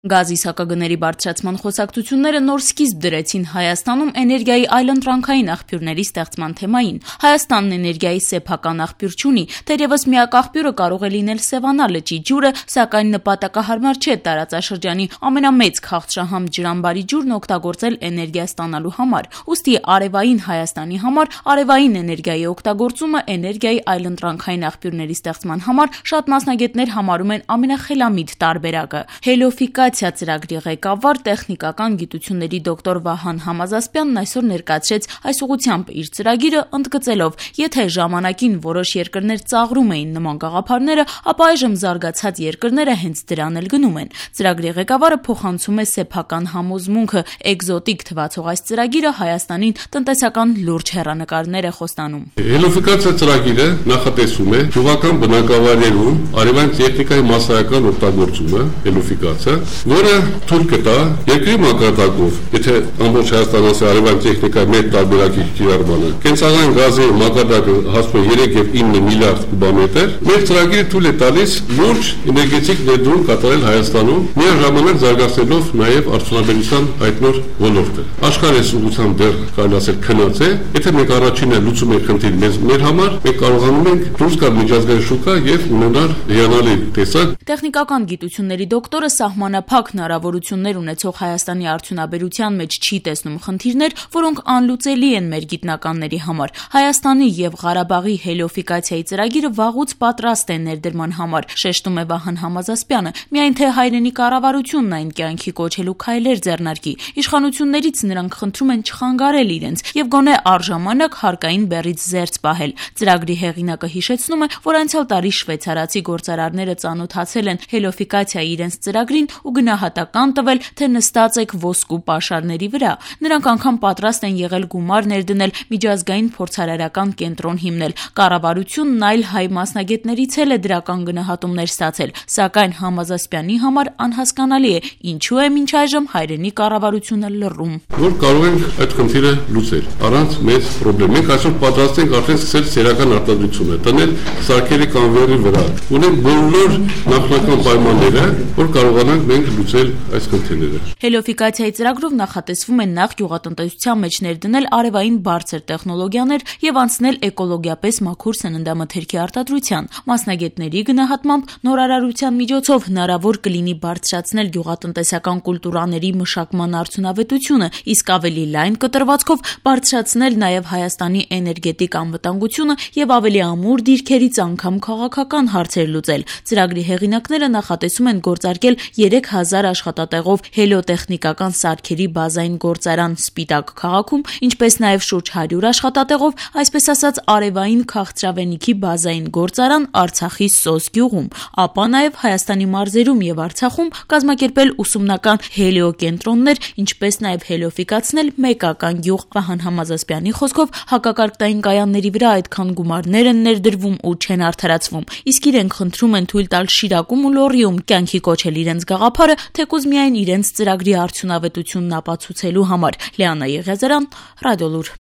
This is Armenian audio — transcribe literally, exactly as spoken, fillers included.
Գազի սակագների բարձրացման խոսակցությունները նոր սկիզբ դրեցին Հայաստանում էներգիայի այլընտրանքային աղբյուրների ստեղծման թեմային։ Հայաստանն էներգիայի սեփական աղբյուր չունի, թերևս միակ աղբյուրը կարող է լինել Սևանա լճի ջուրը, սակայն նպատակահարմար չէ տարածաշրջանի ամենամեծ քաղցրահամ ջրամբարի ջուրն օգտագործել էներգիա ստանալու համար։ Ուստի արևային Հայաստանի համար արևային էներգիայի օգտագործումը էներգիայի այլընտրանքային աղբյուրների ստեղծման համար շատ մասնագետներ համարում են ամենախելամիտ տարբերակը։ Հելիոֆիկացիա ծրագրի ղեկավար տեխնիկական գիտությունների դոկտոր Վահան Համազասպյանն այսօր ներկայացրեց այս ուղղությամբ իր ծրագիրը, ընդգծելով, եթե ժամանակին որոշ երկրներ ծաղրում էին նման գաղափարները, ապա այժմ զարգացած երկրները հենց դրան էլ գնում են։ Ծրագրի ղեկավարը փոխանցում է սեփական համոզմունքը, էկզոտիկ թվացող այս ծրագիրը Հայաստանին տնտեսական լուրջ հեռանկարներ է խոստանում։ Հելիոֆիկացիա ծրագիրը նախատեսում է գյուղական բնակավայրերում արևային տեխնիկայի մասսայական օգտագործումը, հելիոֆիկացիա, որը թույլ կտա երկրի մակարդակով, եթե ամբողջ Հայաստանը արևային տեխնիկայի մեծ տարբերակի կիրառմանը, կենցաղային գազի մակարդակը հասնում է երեք եւ ինը միլիարդ կուբամետր, մեր ծրագիրը թույլ է տալիս լուրջ էներգետիկ ներդրում կատարել Հայաստանում, միաժամանակ զարգացնելով նաեւ արդյունաբերության հայտնոր ոլորտը։ Աշխարհի ուղղությամբ դեռ կարելի ասել քնած է, եթե մենք առաջինը լուծում ենք խնդիրը մեզ մեր համար, մենք կարողանում ենք դուրս գալ միջազգային շուկա եւ ունենալ հիանալի տեսակ։ Տեխնիկական գիտությունների դոկտորը սահմանափակ հնարավորություններ ունեցող Հայաստանի արդյունաբերության մեջ չի տեսնում խնդիրներ, որոնք անլուծելի են մեր գիտնականների համար։ Հայաստանի եւ Ղարաբաղի հելիոֆիկացիայի ծրագիրը վաղուց պատրաստ է ներդրման համար, շեշտում է Վահան Համազասպյանը, միայն թե հայրենի կառավարությունն այն կյանքի կոչելու քայլեր ձեռնարկի։ Իշխանություններից նրանք խնդրում են չխանգարել իրենց եւ գոնե առժամանակ հարկային բեռից զերծ պահել։ Ծրագրի հեղինակը հիշեցնում է, որ անցյալ տարի շվեյցարացի գործարարները ծանոթացել են հելիոֆիկացիայի իրենց ծրագրին ու գնահատական տվել, թե նստած եք ոսկու պաշարների վրա։ Նրանք անգամ պատրաստ են եղել գումար ներդնել, միջազգային փորձարարական կենտրոն հիմնել։ Կառավարությունն այլ հայ մասնագետներից էլ է դրական գնահատումներ ստացել, սակայն Համազասպյանի համար անհասկանալի է, ինչու է մինչ այժմ հայրենի կառավարությունը լռում։ Որ կարող ենք այդ խնդիրը լուծել առանց մեծ խնդրի։ Մենք այսօր պատրաստ ենք արդեն սկսել սերական արտադրությունը, տնել սարքերի կանվերի վրա։ Ունենք բոլոր նախնական պայմանները, որ կարողանանք մենք լուծել այս խնդիրները։ Հելիոֆիկացիայի ծրագրով նախատեսվում է նախ գյուղատնտեսության մեջ ներդնել արևային բարձր տեխնոլոգիաներ եւ անցնել էկոլոգիապես մաքուր սննդամթերքի արտադրության։ Մասնագետների գնահատմամբ նորարարության միջոցով հնարավոր կլինի բարձրացնել գյուղատնտեսական կուլտուրաների մշակման արդյունավետությունը, իսկ ավելի լայն կտրվածքով բարձրացնել նաեւ Հայաստանի էներգետիկ անվտանգությունը եւ ավելի ամուր դիրքերից անգամ քաղաքական հարցեր լուծել։ Ծրագրի հեղինակները նախատեսում են գործարկել երեք հազար աշխատատեղով հելիոտեխնիկական սարքերի բազային գործարան Սպիտակ քաղաքում, ինչպես նաեւ շուրջ հարյուր աշխատատեղով, այսպես ասած, արևային քաղցրավենիքի բազային գործարան Արցախի Սոս գյուղում, ապա նաեւ Հայաստանի մարզերում եւ Արցախում կազմակերպել ուսումնական հելիոկենտրոններ, ինչպես նաեւ հելիոֆիկացնել մեկական գյուղ։ Վահան Համազասպյանի խոսքով հակակարգտային կայանների վրա այդքան գումարներ են ներդրվում ու չեն արդարացվում, իսկ իրենք խնդրում են թույլ տալ Շիրակում ու Լոռիում կյանքի կոչել իրենց գաղափարը, թեկուզ միայն իրենց ծրագրի արդյունավետությունն ապացուցելու համար։ Լիանա Եղիազարյան, Ռադիոլուր։